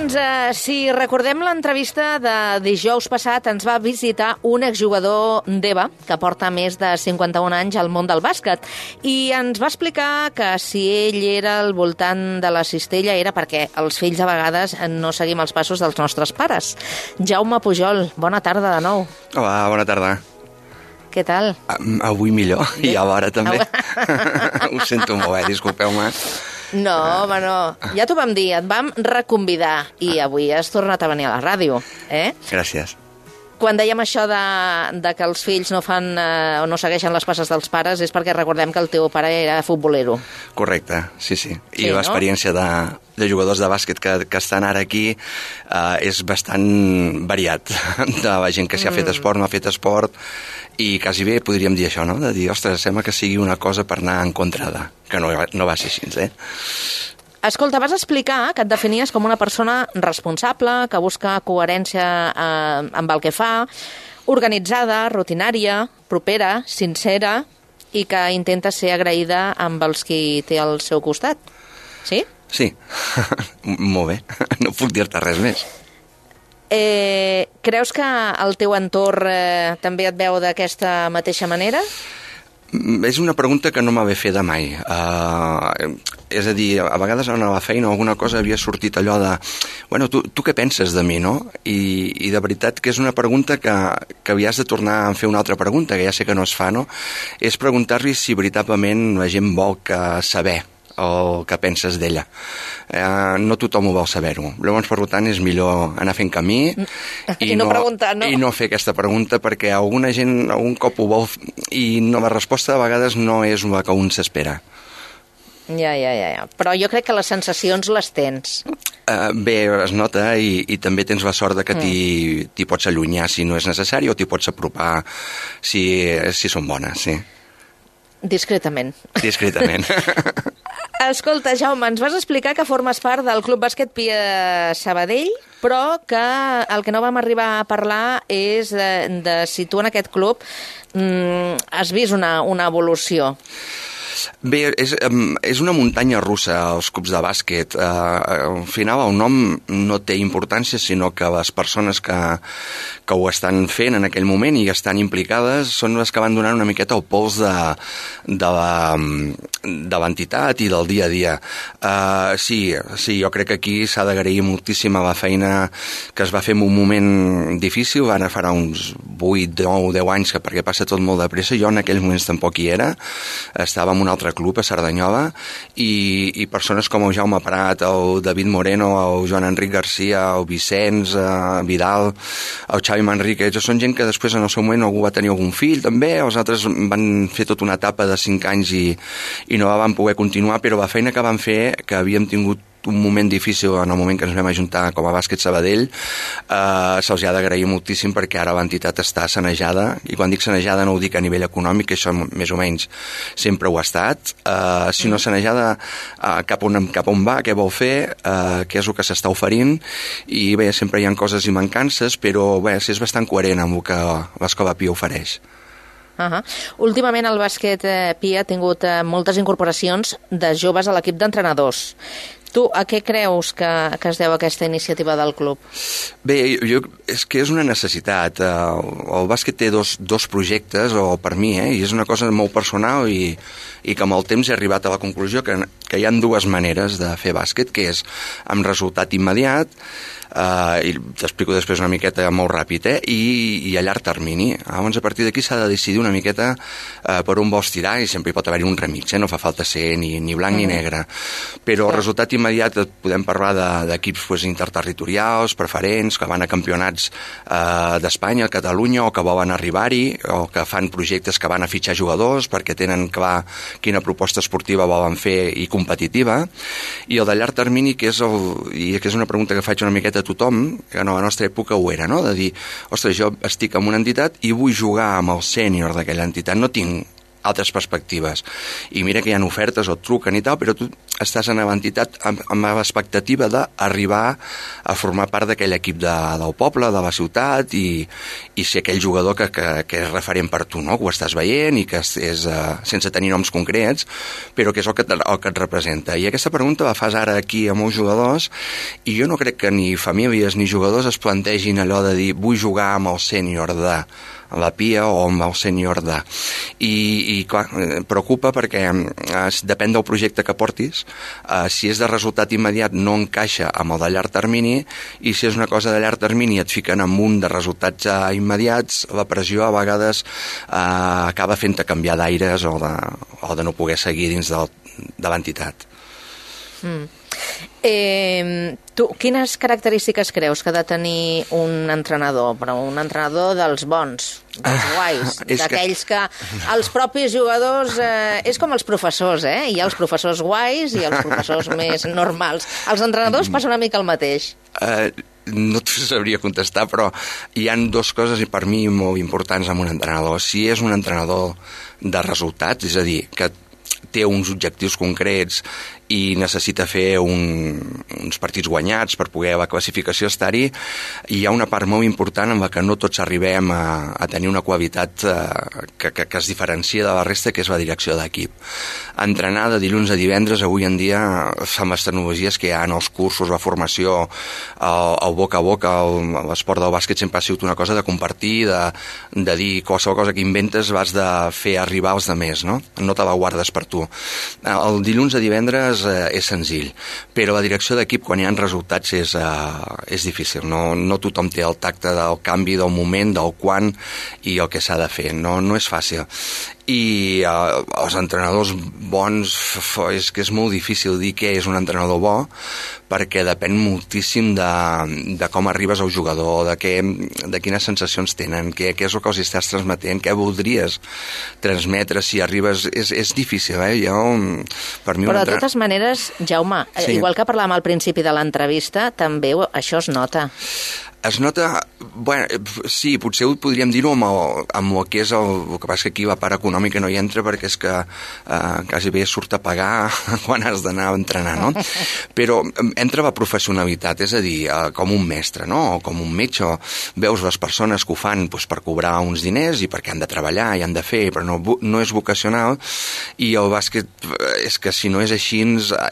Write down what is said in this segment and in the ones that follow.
Doncs, si recordem l'entrevista de dijous passat, ens va visitar un exjugador d'EVA, que porta més de 51 anys al món del bàsquet, i ens va explicar que si ell era al voltant de la cistella era perquè els fills a vegades no seguim els passos dels nostres pares. Jaume Pujol, bona tarda de nou. Hola, bona tarda. Què tal? Avui millor, i a l'hora també. Ho sento molt, disculpeu-me. No, home, no. Ja t'ho vam dir, et vam reconvidar i avui has tornat a venir a la ràdio, eh? Gràcies. Quan dèiem això de que els fills no fan o no segueixen les passes dels pares és perquè recordem que el teu pare era futbolero. Correcte, sí. I sí, l'experiència de jugadors de bàsquet que estan ara aquí és bastant variat. De la gent que s'hi ha fet esport, no ha fet esport, i quasi bé podríem dir això, no? De dir, ostres, sembla que sigui una cosa per anar en contra de... Que no va ser així, eh? Escolta, vas explicar que et definies com una persona responsable, que busca coherència amb el que fa, organitzada, rutinària, propera, sincera i que intenta ser agraïda amb els qui té al seu costat. Sí? Sí, molt bé. No puc dir-te res més. Creus que el teu entorn també et veu d'aquesta mateixa manera? És una pregunta que no m'havia fet de mai. És a dir, a vegades a la feina alguna cosa havia sortit allò de bueno, tu què penses de mi, no? I de veritat que és una pregunta que havies de tornar a fer una altra pregunta, que ja sé que no es fa, no? És preguntar-li si veritablement la gent vol saber el que penses d'ella. No tothom ho vol saber-ho. Llavors, per tant, és millor anar fent camí i no preguntar, no? I no fer aquesta pregunta, perquè alguna gent algun cop ho vol i la resposta a vegades no és la que un s'espera. Ja. Però jo crec que les sensacions les tens. Bé, es nota i també tens la sort de que t'hi pots allunyar si no és necessari o t'hi pots apropar si són bones, sí. Discretament. Escolta, Jaume, ens vas explicar que formes part del Club Bàsquet Pia Sabadell, però que el que no vam arribar a parlar és de si tu en aquest club has vist una evolució. Bé, és una muntanya russa, els clubs de bàsquet. Al final el nom no té importància, sinó que les persones que ho estan fent en aquell moment i estan implicades són les que van donant una miqueta el pols de l'entitat i del dia a dia. Sí, jo crec que aquí s'ha d'agrair moltíssim a la feina que es va fer en un moment difícil. Van farà uns 8, 9, 10 anys, perquè passa tot molt de pressa. Jo en aquells moments tampoc hi era. Estava en un altre club a Cerdanyola i persones com el Jaume Prat, el David Moreno, el Joan Enric Garcia, el Vicenç Vidal, el Xavi Manrique, són gent que després en el seu moment algú va tenir algun fill també, els altres van fer tota una etapa de 5 anys i no la van poder continuar, però la feina que van fer, que havíem tingut un moment difícil en el moment que ens vam ajuntar com a Bàsquet Sabadell, se'ls ha d'agrair moltíssim perquè ara l'entitat està sanejada, i quan dic sanejada no ho dic a nivell econòmic, que això més o menys sempre ho ha estat, sinó sanejada cap on va, què vol fer, què és el que s'està oferint, i bé, sempre hi ha coses i mancances, però bé, és bastant coherent amb el que l'Escola Pia ofereix. Últimament el bàsquet Pia ha tingut moltes incorporacions de joves a l'equip d'entrenadors. Tu, a què creus que es deu aquesta iniciativa del club? Bé, és que és una necessitat. El bàsquet té dos projectes, o per mi, i és una cosa molt personal i que amb el temps he arribat a la conclusió que hi ha dues maneres de fer bàsquet, que és amb resultat immediat, i t'explico després una miqueta molt ràpid, i a llarg termini. Llavors, a partir d'aquí s'ha de decidir una miqueta per on vols tirar, i sempre hi pot haver-hi un remig, no fa falta ser ni blanc ni negre. Però el resultat immediat podem parlar d'equips interterritorials, preferents, que van a campionats d'Espanya, a Catalunya, o que volen arribar-hi, o que fan projectes que van a fitxar jugadors perquè tenen clar quina proposta esportiva volen fer i competitiva. I el de llarg termini, que és una pregunta que faig una miqueta a tothom, que a la nostra època ho era, no? De dir, ostres, jo estic en una entitat i vull jugar amb el sènior d'aquella entitat, no tinc altres perspectives. I mira que hi ha ofertes o et truquen i tal, però tu estàs en l'entitat amb l'expectativa d'arribar a formar part d'aquell equip del poble, de la ciutat, i ser aquell jugador que és referent per tu, no? Que ho estàs veient i que és sense tenir noms concrets, però que és el que et representa. I aquesta pregunta la fas ara aquí a molts jugadors, i jo no crec que ni famílies ni jugadors es plantegin allò de dir vull jugar amb el sènior de la Pia o amb el sènior de... I clar, preocupa perquè depèn del projecte que portis, si és de resultat immediat no encaixa amb el de llarg termini, i si és una cosa de llarg termini i et fiquen en un de resultats immediats, la pressió a vegades acaba fent-te canviar d'aires o de no poder seguir dins de l'entitat. Tu, quines característiques creus que ha de tenir un entrenador? Però un entrenador dels bons, dels guais, d'aquells que els propis jugadors... és com els professors, Hi ha els professors guais i els professors més normals. Els entrenadors passa una mica el mateix. No t'ho sabria contestar, però hi han dues coses per mi molt importants amb un entrenador. Si és un entrenador de resultats, és a dir, que té uns objectius concrets i necessita fer uns partits guanyats per poder a la classificació estar-hi, hi ha una part molt important en la que no tots arribem a tenir una qualitat que es diferencia de la resta, que és la direcció d'equip. Entrenar de dilluns a divendres avui en dia, amb les tecnologies que hi ha en els cursos, la formació, el boca a boca, l'esport del bàsquet sempre ha sigut una cosa de compartir, de dir qualsevol cosa que inventes vas de fer arribar als altres, no? No te la guardes per tu. El dilluns a divendres és senzill, però la direcció d'equip quan hi ha resultats és difícil. No tothom té el tacte del canvi, del moment, del quan i el que s'ha de fer. No és fàcil. I els entrenadors bons, és que és molt difícil dir què és un entrenador bo, perquè depèn moltíssim de com arribes al jugador, de quines sensacions tenen, què és el que els estàs transmetent, què voldries transmetre si arribes... És difícil, per mi. Però de totes maneres, Jaume, sí. Igual que parlàvem al principi de l'entrevista, també això es nota. Es nota... Bueno, sí, potser ho podríem dir-ho amb el que és el que passa que aquí la part econòmica no hi entra perquè és que quasi bé surt a pagar quan has d'anar a entrenar, no? Però entra la professionalitat, és a dir, com un mestre, no? O com un metge. Veus les persones que ho fan per cobrar uns diners i perquè han de treballar i han de fer, però no és vocacional, i el bàsquet és que si no és així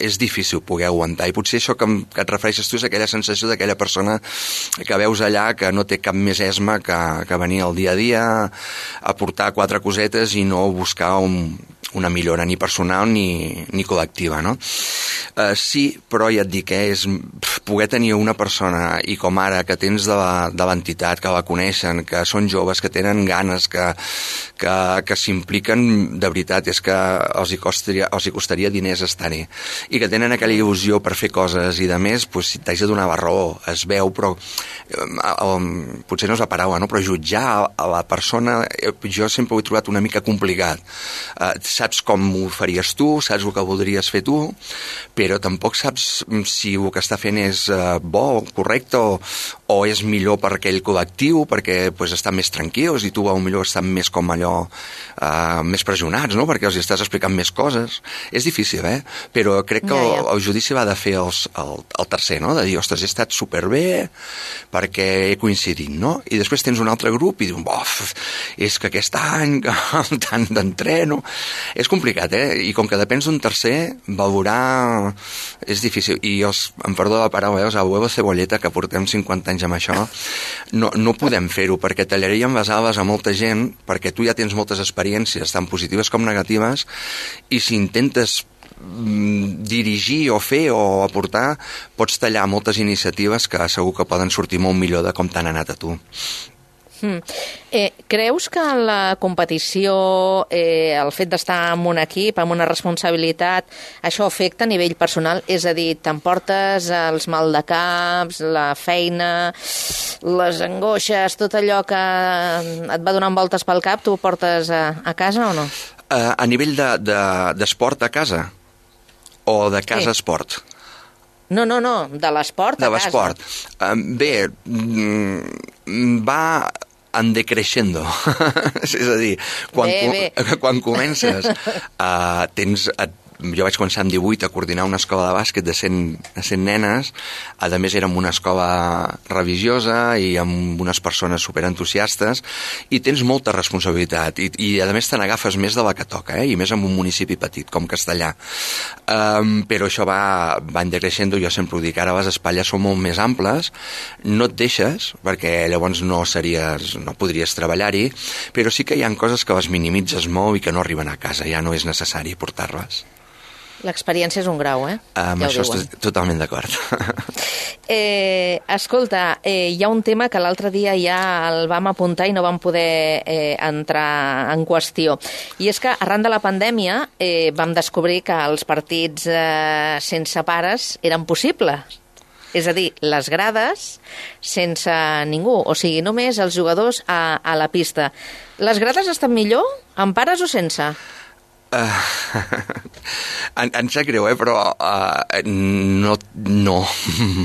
és difícil poder aguantar, i potser això que et refereixes tu és aquella sensació d'aquella persona que veus allà que no té cap més esma que venir al dia a dia a portar 4 cosetes i no buscar una millora ni personal ni col·lectiva, no? Sí, però ja et dic que és poder tenir una persona, i com ara, que tens de l'entitat, que la coneixen, que són joves, que tenen ganes, que s'impliquen de veritat, és que els hi costaria diners estar-hi, i que tenen aquella il·lusió per fer coses i de més, si t'haig de donar la raó, es veu, però potser no és la paraula, no? Però jutjar a la persona, jo sempre ho he trobat una mica complicat. Saps com ho faries tu, saps el que voldries fer tu, però tampoc saps si el que està fent és bo, correcte, o és millor per aquell col·lectiu, perquè estan més tranquils i tu potser estan més com allò, més pressionats, no? Perquè els estàs explicant més coses. És difícil, però crec que el judici va de fer el tercer, no? De dir, ostres, he estat superbé perquè he coincidit, no? I després tens un altre grup i dius, és que aquest any tant d'entreno... És complicat, I com que depens d'un tercer, valorar és difícil. I em perdó la paraula, el huevo cebolleta, que portem 50 anys amb això, no podem fer-ho, perquè tallaríem les ales a molta gent, perquè tu ja tens moltes experiències, tant positives com negatives, i si intentes dirigir o fer o aportar, pots tallar moltes iniciatives que segur que poden sortir molt millor de com t'han anat a tu. Creus que la competició, el fet d'estar en un equip, amb una responsabilitat, això afecta a nivell personal? És a dir, t'emportes els maldecaps, la feina, les angoixes, tot allò que et va donant voltes pel cap, tu ho portes a casa o no? A nivell d'esport a casa? O de casa a esport? No, de l'esport a casa. De l'esport. Bé, va en decreixendo. És a dir, quan comences, jo vaig començar amb 18 a coordinar una escola de bàsquet de 100 nenes, a més era en una escola religiosa i amb unes persones superentusiastes, i tens molta responsabilitat, i a més te n'agafes més de la que toca, i més en un municipi petit com Castellà. Però això va en decreixendo, jo sempre ho dic, ara les espatlles són molt més amples, no et deixes, perquè llavors no podries treballar-hi, però sí que hi ha coses que les minimitzes molt i que no arriben a casa, ja no és necessari portar-les. L'experiència és un grau, Amb això estic totalment d'acord. Escolta, hi ha un tema que l'altre dia ja el vam apuntar i no vam poder entrar en qüestió. I és que arran de la pandèmia vam descobrir que els partits sense pares eren possibles. És a dir, les grades sense ningú, o sigui, només els jugadors a la pista. Les grades estan millor, amb pares o sense? Em sap greu, però no,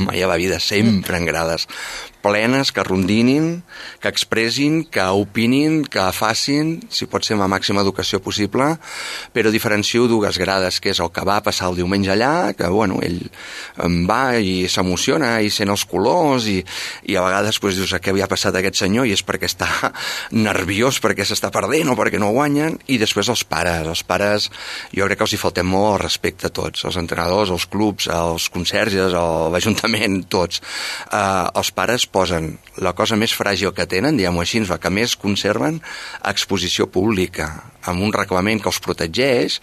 mai a la vida, sempre en grades plenes, que rondinin, que expressin, que opinin, que facin, si pot ser amb la màxima educació possible, però diferencio dues grades, que és el que va passar el diumenge allà, que ell va i s'emociona i sent els colors, i a vegades dius, què havia passat a aquest senyor, i és perquè està nerviós, perquè s'està perdent o perquè no guanyen, i després els pares, jo crec que els hi faltem molt el respecte a tots, els entrenadors, els clubs, els conserges, l'Ajuntament, tots. Els pares posen la cosa més fràgil que tenen, diguem-ho així, la que més conserven, a exposició pública, amb un reglament que els protegeix,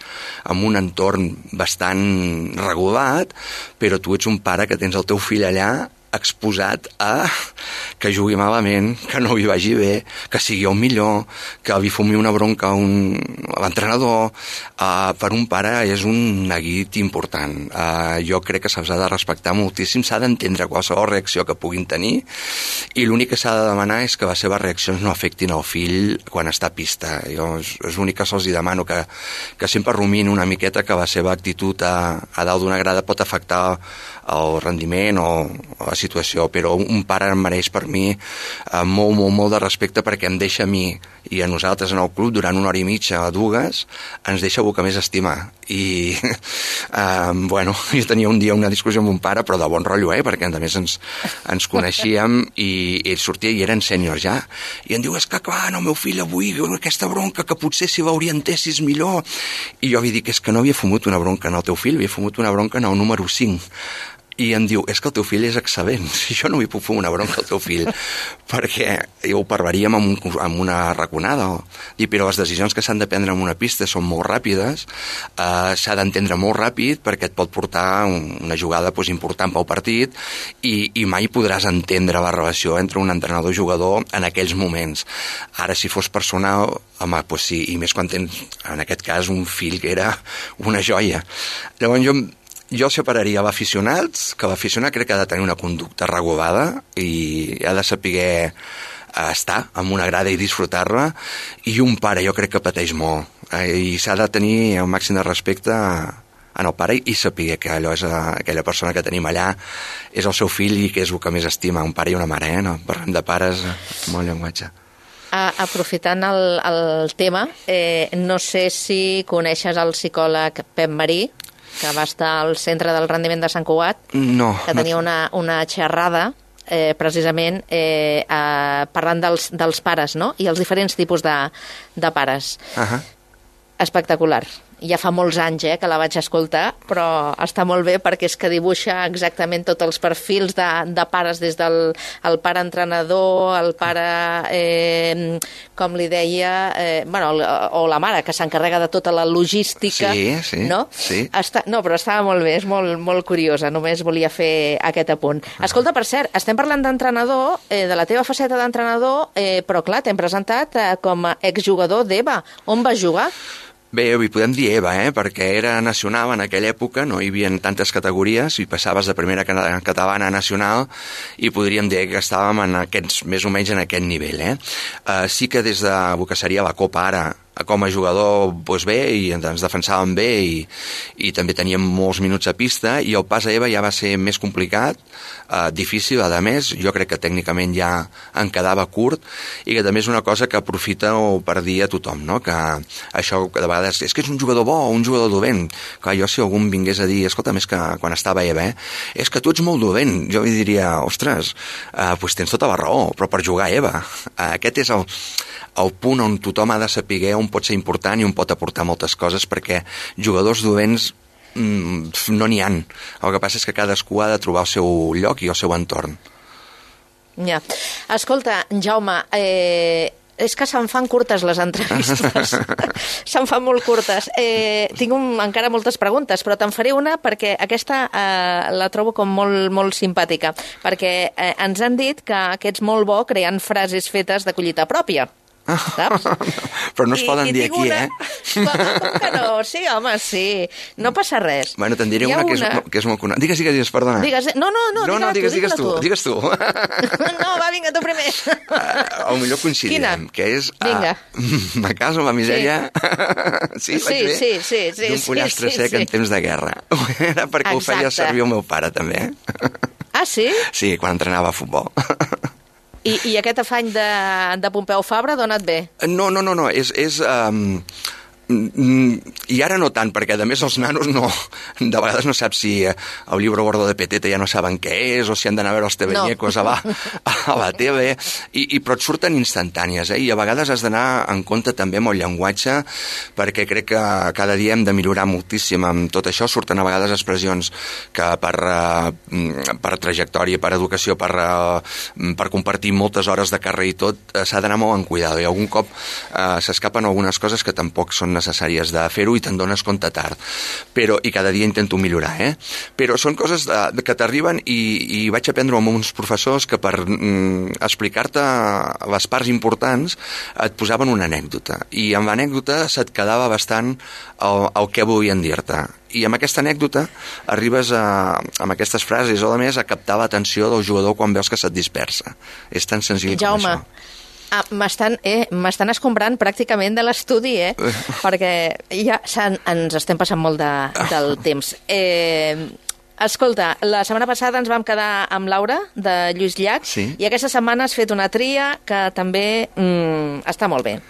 amb un entorn bastant regulat, però tu ets un pare que tens el teu fill allà exposat a que jugui malament, que no li vagi bé, que sigui el millor, que li fumi una bronca a l'entrenador. Per un pare és un neguit important. Jo crec que se'ls ha de respectar moltíssim, s'ha d'entendre qualsevol reacció que puguin tenir, i l'únic que s'ha de demanar és que les seves reaccions no afectin el fill quan està a pista. Jo és l'únic que se'ls demano, que sempre rumin una miqueta que la seva actitud a dalt d'una grada pot afectar el rendiment o la situació, però un pare em mereix per mi molt de respecte, perquè em deixa a mi i a nosaltres en el club durant 1 hora i mitja o 2, ens deixa el que més estima. I jo tenia un dia una discussió amb un pare, però de bon rotllo, perquè a més ens coneixíem, i ell sortia i eren sèniors ja, i em diu, és que clar, el meu fill avui aquesta bronca, que potser si l'orientessis millor, i jo li dic, és que no havia fumut una bronca en el teu fill, havia fumut una bronca en el número 5, i em diu, és que el teu fill és excel·lent, jo no vull fumar una bronca al teu fill, perquè ho parlaríem amb una raconada. Però les decisions que s'han de prendre en una pista són molt ràpides, s'ha d'entendre molt ràpid, perquè et pot portar una jugada important pel partit, i mai podràs entendre la relació entre un entrenador i jugador en aquells moments. Ara, si fos personal, home, doncs sí, i més quan tens, en aquest cas, un fill que era una joia. Llavors, jo separaria l'aficionat, que l'aficionat crec que ha de tenir una conducta regulada i ha de saber estar en una grada i disfrutar-la, i un pare jo crec que pateix molt, i s'ha de tenir el màxim de respecte en el pare i saber que allò és aquella persona que tenim allà, és el seu fill i que és el que més estima, un pare i una mare, no? Parlem de pares, molt llenguatge. Aprofitant el tema, no sé si coneixes el psicòleg Pep Marí, que va estar al Centre del Rendiment de Sant Cugat, que tenia una xerrada precisament parlant dels pares, no? I els diferents tipus de pares. Espectacular. Ja fa molts anys que la vaig escoltar, però està molt bé perquè és que dibuixa exactament tots els perfils de pares, des del pare entrenador, el pare, com li deia, o la mare, que s'encarrega de tota la logística. Sí, no? Sí. No, però estava molt bé, és molt curiosa, només volia fer aquest apunt. Escolta, per cert, estem parlant d'entrenador, de la teva faceta d'entrenador, però clar, t'hem presentat com a exjugador d'EVA. On vas jugar? Bé, hi podem dir EVA, perquè era nacional en aquella època, no hi havia tantes categories, i passaves de primera catalana a nacional, i podríem dir que estàvem més o menys en aquest nivell. Sí que des de el que seria la Copa ara, com a jugador doncs bé, i ens defensàvem bé i també teníem molts minuts a pista, i el pas a EVA ja va ser més complicat, difícil, a més, jo crec que tècnicament ja en quedava curt, i que també és una cosa que aprofita per dir a tothom, no? Que això de vegades és que és un jugador bo, un jugador dolent. Clar, jo si algú em vingués a dir, escolta, més que quan estava a EVA, és que tu ets molt dolent, jo li diria, ostres, doncs tens tota la raó, però per jugar a EVA. Aquest és el punt on tothom ha de saber on pot ser important i on pot aportar moltes coses, perquè jugadors dolents no n'hi ha. El que passa és que cadascú ha de trobar el seu lloc i el seu entorn. Ja. Escolta, Jaume, és que se'n fan curtes les entrevistes. Se'n fan molt curtes. Tinc encara moltes preguntes, però te'n faré una perquè aquesta la trobo com molt, molt simpàtica. Perquè ens han dit que ets molt bo creant frases fetes de collita pròpia. Saps? Però no es poden dir aquí, Com que no? Sí, home, sí. No passa res. Bueno, te'n diré una que és molt coneguda. Digues, perdona. No, digues tu. No, va, vinga, tu primer. Potser coincidirem, que és me caso amb la misèria. Sí, vaig bé? Sí. D'un pollastre sec en temps de guerra. Era perquè ho feia servir el meu pare, també. Ah, sí? Sí, quan entrenava a futbol. I aquest afany de Pompeu Fabra d'on et ve? No, és i ara no tant, perquè a més els nanos de vegades no saps si el llibre gordo de Petete ja no saben què és, o si han d'anar a veure els TV-ñecos a la TV, però et surten instantànies, i a vegades has d'anar en compte també amb el llenguatge, perquè crec que cada dia hem de millorar moltíssim amb tot això. Surten a vegades expressions que per trajectòria, per educació, per compartir moltes hores de carrer i tot, s'ha d'anar molt en cuidado, i algun cop s'escapen algunes coses que tampoc són necessàries de fer-ho i te'n dones compte tard. I cada dia intento millorar, Però són coses que t'arriben i vaig aprendre amb uns professors que per explicar-te les parts importants et posaven una anècdota. I amb l'anècdota se't quedava bastant el que volien dir-te. I amb aquesta anècdota arribes amb aquestes frases o a més a captar l'atenció del jugador quan veus que se't dispersa. És tan senzill com això. M'estan escombrant pràcticament de l'estudi, perquè ja ens estem passant molt del temps. Escolta, la setmana passada ens vam quedar amb Laura, de Lluís Llach, i aquesta setmana has fet una tria que també està molt bé.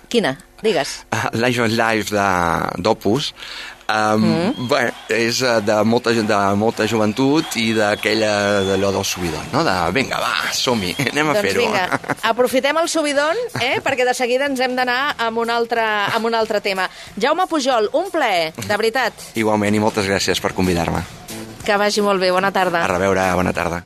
Quina? Digues. Life on Life d'Opus. Bé, és de molta joventut i d'allò del subidon, no? Vinga, va, som-hi, anem a fer-ho. Doncs vinga, aprofitem el subidon, perquè de seguida ens hem d'anar amb un altre tema. Jaume Pujol, un plaer, de veritat. Igualment, i moltes gràcies per convidar-me. Que vagi molt bé, bona tarda. A reveure, bona tarda.